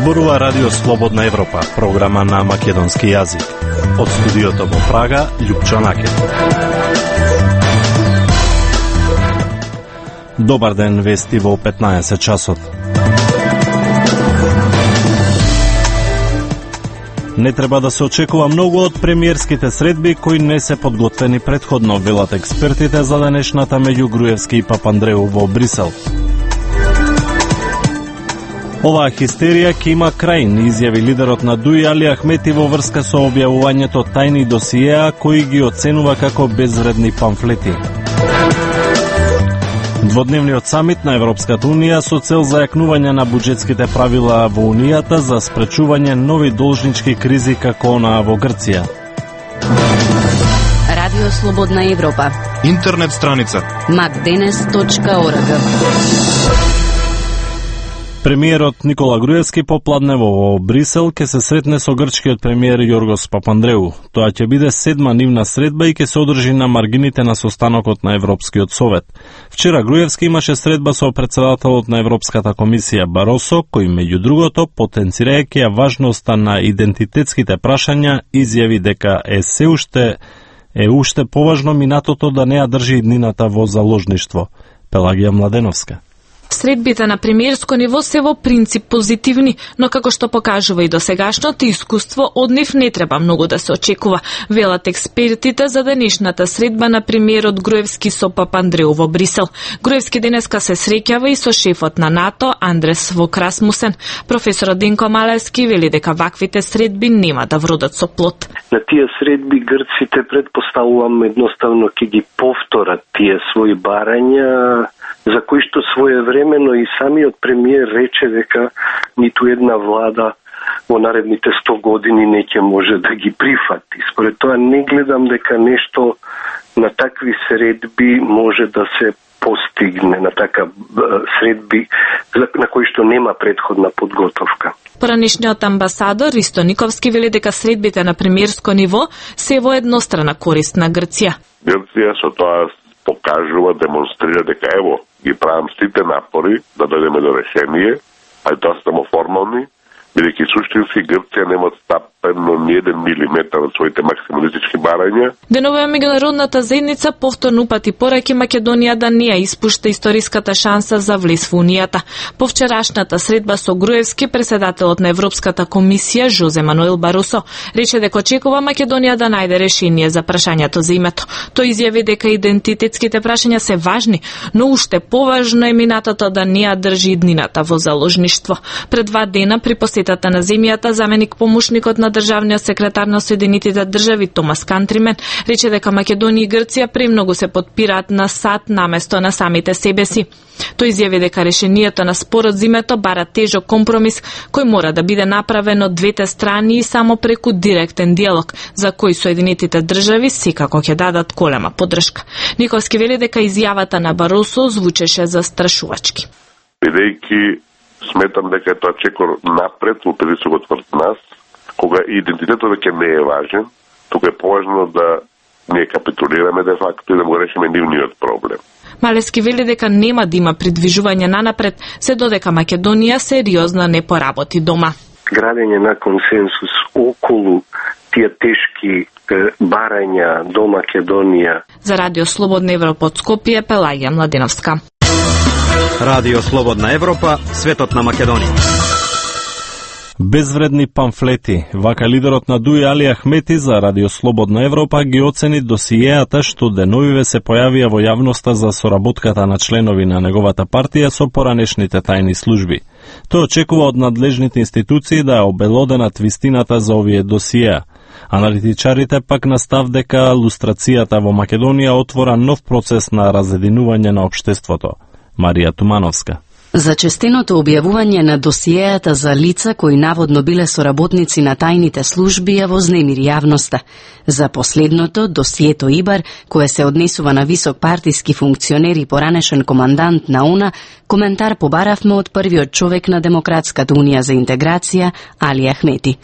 Зборува Радио Слободна Европа, програма на македонски јазик. Од студиото во Прага, Љупчо Накет. Добар ден, вести во 15 часот. Не треба да се очекува многу од премиерските средби кои не се подготвени предходно, велат експертите за денешната меѓу Груевски и Папандреу во Брисел. Оваа хистерија ќе има крај, изјави лидерот на ДУИ Али Ахмети во врска со објавувањето тајни досиеа кои ги оценува како безвредни памфлети. Дводневниот самит на Европската Унија со цел зајакнување на буџетските правила во Унијата за спречување нови должнички кризи како онаа во Грција. Радио Слободна Европа. Интернет страница macdenes.org. Премиерот Никола Груевски попладнево во Брисел ќе се сретне со грчкиот премиер Јоргос Папандреу. Тоа ќе биде седма нивна средба и ќе се одржи на маргините на состанокот на Европскиот совет. Вчера Груевски имаше средба со председателот на Европската комисија Баросо, кој меѓу другото, потенцирајќи ја важноста на идентитетските прашања, изјави дека е уште поважно минатото да не ја држи иднината во заложништво. Пелагија Младеновска. Средбите на премиерско ниво се во принцип позитивни, но како што покажува и досегашното искуство, од нив не треба многу да се очекува, велат експертите за денешната средба на премиерот Груевски со Папандреу во Брисел. Груевски денеска се среќава и со шефот на НАТО Андрес Вок Расмусен. Професорот Денко Малевски вели дека ваквите средби нема да вродат со плод. На тие средби грците предпоставувам едноставно ќе ги повторат тие своји барања, за кои што своевремено и самиот премиер рече дека ниту една влада во наредните 100 години не ќе може да ги прифати. Според тоа не гледам дека нешто на такви средби може да се постигне, на така средби на кои што нема предходна подготовка. Поранешниот амбасадор Ристо Никовски вели дека средбите на премиерско ниво се во еднострана корист на Грција. Грција со тоа покажува, демонстрира дека ево, ги правам сите напори да дојдеме до решение, а и тоа се само формални, бидејќи суштински Грција нема стапено ни 1 милиметар од своите максималистички барања. Денова меѓународната заедница повторно упати пораки Македонија да не ја испушта историската шанса за влез во Унијата. По вчерашната средба со Груевски, председателот на Европската комисија Жозе Мануел Баросо рече дека очекува Македонија да најде решение за прашањето за името. Тој изјави дека идентитетските прашања се важни, но уште поважно е минатото да не ја држи иднината во заложништво. Пред 2 дена при посетата на земјата, заменик помошникот на државниот секретар на Соединетите држави Томас Кантримен рече дека Македонија и Грција премногу се подпираат на САД наместо на самите себе си. Тој изјави дека решението на спорот за името бара тежок компромис кој мора да биде направен од двете страни и само преку директен диалог, за кој Соединетите држави секако ќе дадат голема поддршка. Никовски вели дека изјавата на Баросо звучеше застрашувачки. Бидејќи сметам дека е тоа чекор напред во притисокот врз нас, кога идентитетот веќе не е важен, тука е поважно да ние капитулираме де факто и да го решиме нивниот проблем. Малевски вели дека нема да има придвижување нанапред, се додека Македонија сериозно не поработи дома. Градење на консенсус околу тие тешки барања до Македонија. За Радио Слободна Европа од Скопје, Пелагија Младеновска. Радио Слободна Европа, светот на Македонија. Безвредни памфлети. Вака лидерот на ДУИ Али Ахмети за Радио Слободна Европа ги оцени досиеата што деновиве се појавија во јавноста за соработката на членови на неговата партија со поранешните тајни служби. Тој очекува од надлежните институции да ја обелоденат вистината за овие досиеа. Аналитичарите пак настав дека лустрацијата во Македонија отвора нов процес на разединување на општеството. Марија Тумановска. Зачестеното објавување на досиеата за лица кои наводно биле соработници на тајните служби ја вознемири јавноста. За последното, досието Ибар, кое се однесува на висок партиски функционер и поранешен командант на ОНА, коментар побаравме од првиот човек на Демократската унија за интеграција, Али Ахмети.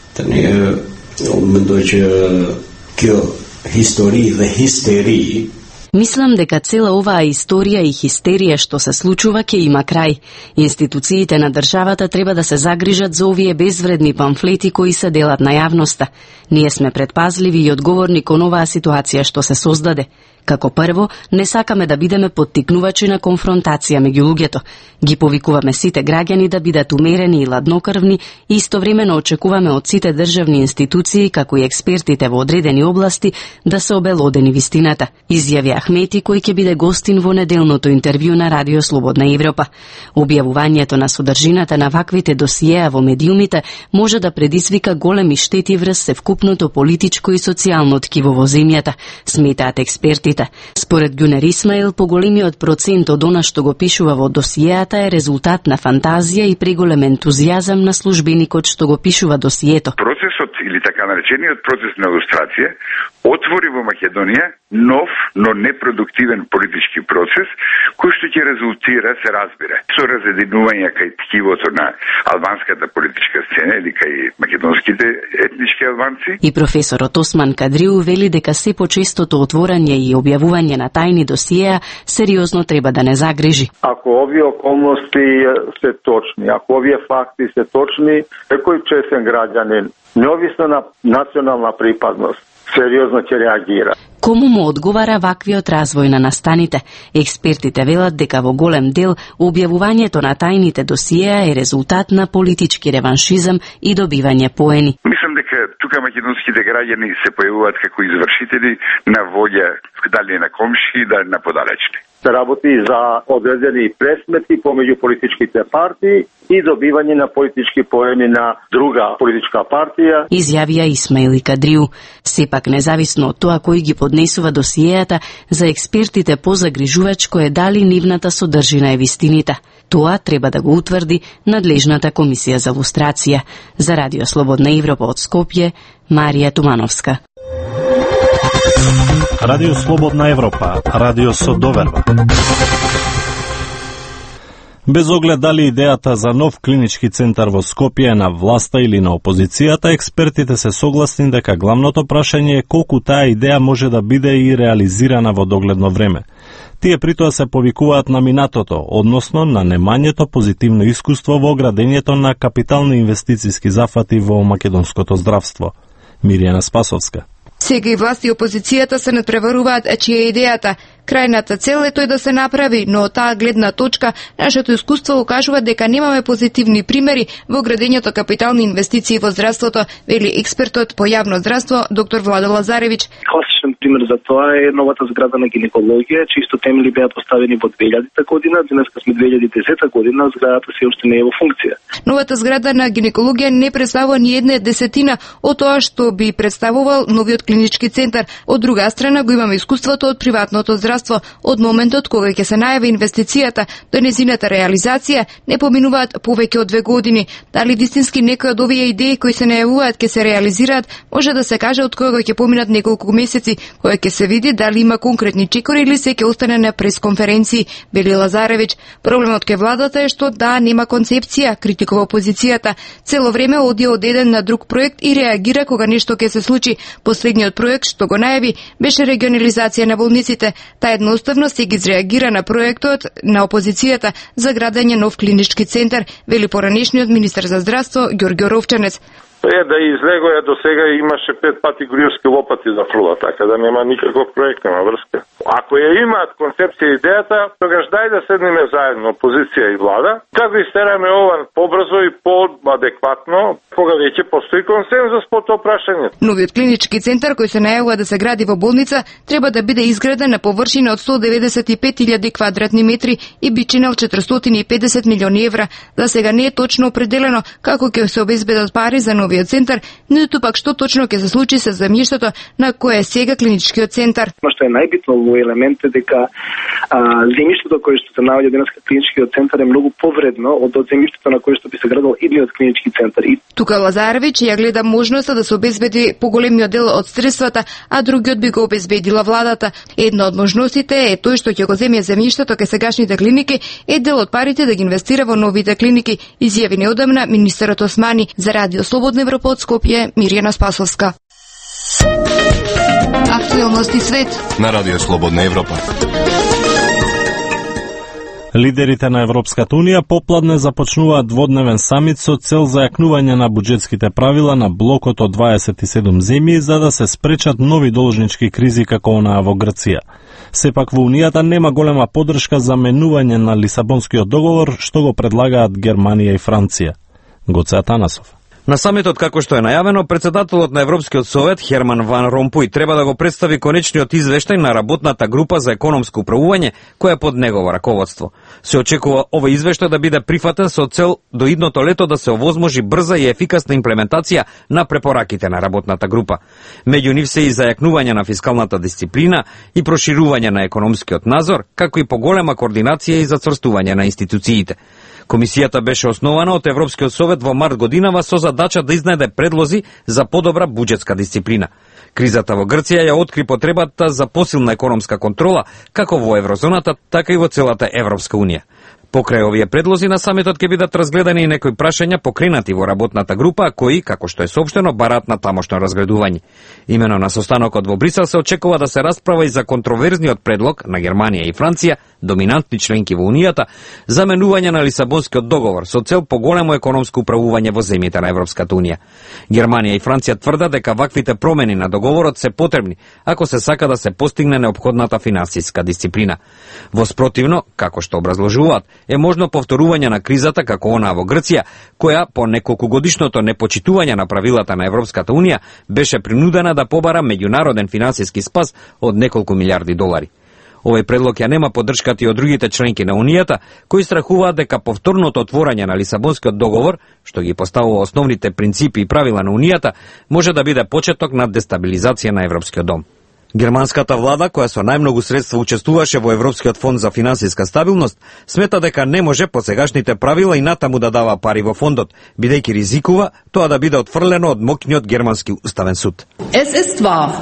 Историја Мислам дека цела оваа историја и хистерија што се случува ќе има крај. Институциите на државата треба да се загрижат за овие безвредни памфлети кои се делат на јавноста. Ние сме предпазливи и одговорни кон оваа ситуација што се создаде. Како прво, не сакаме да бидеме поттикнувачи на конфронтација меѓу луѓето. Ги повикуваме сите граѓани да бидат умерени и ладнокрвни и истовремено очекуваме од сите државни институции, како и експертите во одредени области, да се обелодени вистината, изјави Ахмети, кој ќе биде гостин во неделното интервју на Радио Слободна Европа. Објавувањето на содржината на ваквите досиеа во медиумите може да предизвика големи штети врз севкупното политичко и социјално ткиво во земјата, сметаат експертите. Според Гюнер Исмаил, поголемиот процент од она што го пишува во досиеата е резултат на фантазија и преголем ентузијазам на службеникот што го пишува досието. Процесот или така наречениот процес на илустрација отвори во Македонија нов, но непродуктивен политички процес кој што ќе резултира, се разбира, со разединување кај ткивото на албанската политичка сцена или кај македонските етнички албанци. И професорот Осман Кадриу вели дека се почестото отворање и објавување на тајни досиеа сериозно треба да не загрижи. Ако овие околности се точни, ако овие факти се точни, некој честен граѓанин, неовисно на национална припадност, сериозно ќе реагира. Кому му одговара ваквиот развој на настаните? Експертите велат дека во голем дел објавувањето на тајните досиеа е резултат на политички реваншизам и добивање поени. Мислам дека тука македонските граѓани се појавуваат како извршители на волја дали на комши, дали на подалечни. Се работи за одредени пресмети помеѓу политичките партии и добивање на политички поени на друга политичка партија. Изјавија Исмаил и Кадриу. Сепак, независно од тоа кој ги поднесува досиеата, за експертите позагрижувачко е дали нивната содржина е вистинита. Тоа треба да го утврди надлежната комисија за лустрација. За Радио Слободна Европа од Скопје, Марија Тумановска. Радио Слободна Европа, радио со доверба. Без оглед дали идејата за нов клинички центар во Скопје е на власта или на опозицијата, експертите се согласни дека главното прашање е колку таа идеја може да биде и реализирана во догледно време. Тие притоа се повикуваат на минатото, односно на немањето позитивно искуство во градењето на капитални инвестициски зафати во македонското здравство. Миријана Спасовска. Сега и власти и опозицијата се надпреваруваат, чија е идејата. Крајната цел е тој да се направи, но од таа гледна точка нашето искуство укажува дека немаме позитивни примери во градењето капитални инвестиции во здравството, вели експертот по јавно здравство доктор Владо Лазаревич. Класичен пример за тоа е новата зграда на гинекологија, чисто темели беа поставени во 2000 година, денеска сме 2010 година, зградата се уште не е во функција. Новата зграда на гинекологија не представува ни една десетина од тоа што би представувал новиот клинички центар. Од друга страна го имаме искуството од приватното здравство. Од моментот кога ќе се најави инвестицијата до незината реализација не поминуваат повеќе од 2 години. Дали вистински некои од овие идеи кои се најавуваат ќе се реализираат, може да се каже од кога ќе поминат неколку месеци, кога ќе се види дали има конкретни чекори или се ќе остане на пресконференции, вели Лазаревич. Проблемот кај владата е што нема концепција, критикува опозицијата. Цело време оди од еден на друг проект и реагира кога нешто ќе се случи. Последниот проект што го најави беше регионализација на болниците. Едноставно се ги изреагира на проектот на опозицијата за градење нов клинички центар, вели поранешниот министер за здравство Ѓорѓе Ровчанец. Да излегоја до сега имаше 5 пати груевски лопати за фрула, така да нема никаков проект, нема врска. Ако ја имаат концепција и идејата, тогаш дај да седнеме заедно, опозиција и влада, како истераме ова побрзо и поадекватно, кога веќе постои консензус по тоа прашање. Новиот клинички центар кој се најавува да се гради во болница треба да биде изграден на површина од 195.000 квадратни метри и би чинел 450 милиони евра. За сега не е точно определено како ќе се обезбедат пари за новиот центар, ниту пак што точно ќе се случи со земјиштето на кое е сега клиничкиот центар. Што е најбитно во елемент е дека земјиштето кое што се наоѓа денеска клиничкиот центар е многу повредно од земјиштето на кое што би се градел идниот клинички центар. Тука Лазаревич ја гледа можноста да се обезбеди поголемиот дел од средствата, а другиот би го обезбедила владата. Една од можностите е тој што ќе го земе земјиштето кај сегашните клиники, е дел од парите да ги инвестира во новите клиники, изјави неодамна министерот Османи. За Радио Слободна Европа од Скопје, Миријана Спасовска. Актуелности свет на Радио Слободна Европа. Лидерите на Европската Унија попладне започнуваат дводневен самит со цел зајакнување на буџетските правила на блокот од 27 земји за да се спречат нови должнички кризи како онаа во Грција. Сепак во Унијата нема голема поддршка за менување на Лисабонскиот договор што го предлагаат Германија и Франција. Гоце Атанасов. На самитот, како што е најавено, председателот на Европскиот совет Херман Ван Ромпуј треба да го представи конечниот извештај на работната група за економско управување која е под негово раководство. Се очекува овој извештај да биде прифатен со цел до идното лето да се овозможи брза и ефикасна имплементација на препораките на работната група. Меѓу нив се и зајакнување на фискалната дисциплина и проширување на економскиот надзор, како и поголема координација и зацврстување на институциите. Комисијата беше основана од Европскиот совет во март годинава со задача да изнајде предлози за подобра буџетска дисциплина. Кризата во Грција ја откри потребата за посилна економска контрола како во еврозоната, така и во целата Европска унија. Покрај овие предлози на самитот ќе бидат разгледани и некои прашања покренати во работната група, кои, како што е соопштено, бараат на тамошно разгледување. Имено на состанокот во Брисел се очекува да се расправа и за контроверзниот предлог на Германија и Франција, доминантни членки во Унијата, за менување на Лисабонскиот договор со цел поголемо економско управување во земјите на Европската унија. Германија и Франција тврдат дека ваквите промени на договорот се потребни ако се сака да се постигне неопходната финансиска дисциплина. Во спротивно, како што образложуваат, е можно повторување на кризата како онаа во Грција, која по неколкугодишното непочитување на правилата на Европската унија беше принудена да побара меѓународен финансиски спас од неколку милиарди долари. Овој предлог ја нема поддршката и од другите членки на Унијата, кои страхуваат дека повторното отворање на Лисабонскиот договор, што ги поставува основните принципи и правила на Унијата, може да биде почеток на дестабилизација на Европскиот дом. Германската влада, која со најмногу средства учествуваше во Европскиот фонд за финансиска стабилност, смета дека не може по сегашните правила и натаму да дава пари во фондот, бидејќи ризикува тоа да биде отфрлено од моќниот германски уставен суд. Es ist wahr.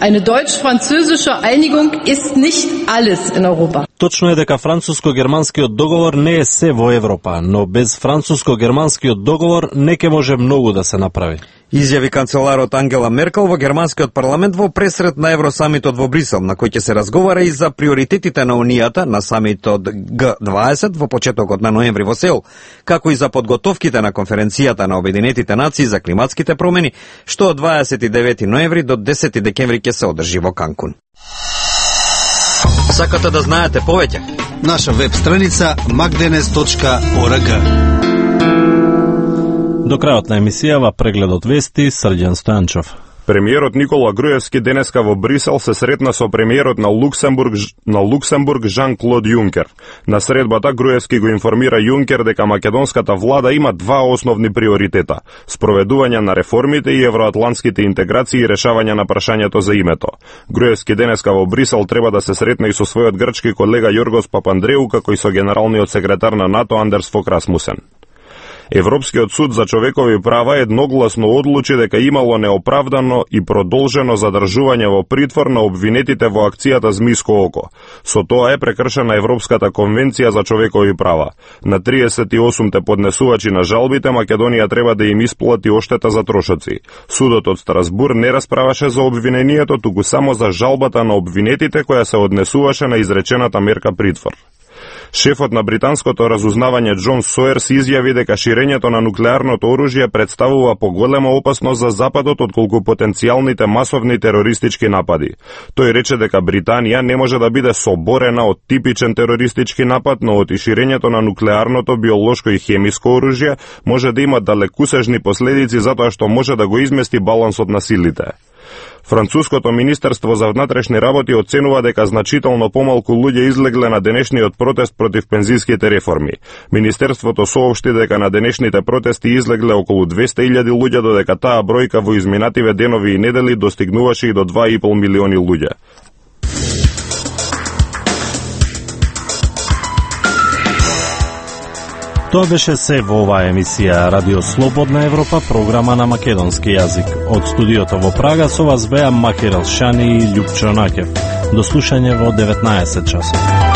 Eine deutsch-französische Einigung ist nicht alles in Europa. Точно е дека француско-германскиот договор не е се во Европа, но без француско-германскиот договор не ќе може многу да се направи. Изјави канцеларот Ангела Меркел во германскиот парламент во пресрет на Евросамитот во Брисел, на кој ќе се разговара и за приоритетите на Унијата на самитот Г20 во почетокот на ноември во Сеул, како и за подготовките на конференцијата на Обединетите нации за климатските промени, што од 29 ноември до 10 декември ќе се одржи во Канкун. Сакате да знаете повеќе? Наша веб страница magdenes.org. До крајот на емисијава прегледот вести Срđan Стојанчов. Премиерот Никола Груевски денеска во Брисел се сретна со премиерот на Луксембург Жан-Клод Јункер. На средбата Груевски го информира Јункер дека македонската влада има два основни приоритета: спроведување на реформите и евроатлантските интеграции и решавање на прашањето за името. Груевски денеска во Брисел треба да се сретне и со својот грчки колега Јоргос Папандреу, како и со генералниот секретар на НАТО Андерс Фок Расмусен. Европскиот суд за човекови права едногласно одлучи дека имало неоправдано и продолжено задржување во притвор на обвинетите во акцијата Змиско око. Со тоа е прекршена Европската конвенција за човекови права. На 38-те поднесувачи на жалбите Македонија треба да им исплати оштета за трошоци. Судот од Страсбур не расправаше за обвинението, туку само за жалбата на обвинетите која се однесуваше на изречената мерка притвор. Шефот на британското разузнавање Џон Соерс изјави дека ширењето на нуклеарното оружје представува поголема опасност за Западот отколку потенцијалните масовни терористички напади. Тој рече дека Британија не може да биде соборена од типичен терористички напад, но од ширењето на нуклеарното, биолошко и хемиско оружје може да има далекусежни последици затоа што може да го измести балансот на силите. Француското Министерство за внатрешни работи оценува дека значително помалку луѓе излегле на денешниот протест против пензиските реформи. Министерството соопшти дека на денешните протести излегле околу 200.000 луѓе, додека таа бројка во изминативе денови и недели достигнуваше и до 2,5 милиони луѓе. Тоа беше се во оваа емисија Радио Слободна Европа, програма на македонски јазик. Од студиото во Прага со вас беа Макер Алшани и Љупчо Накев. До слушање во 19 часот.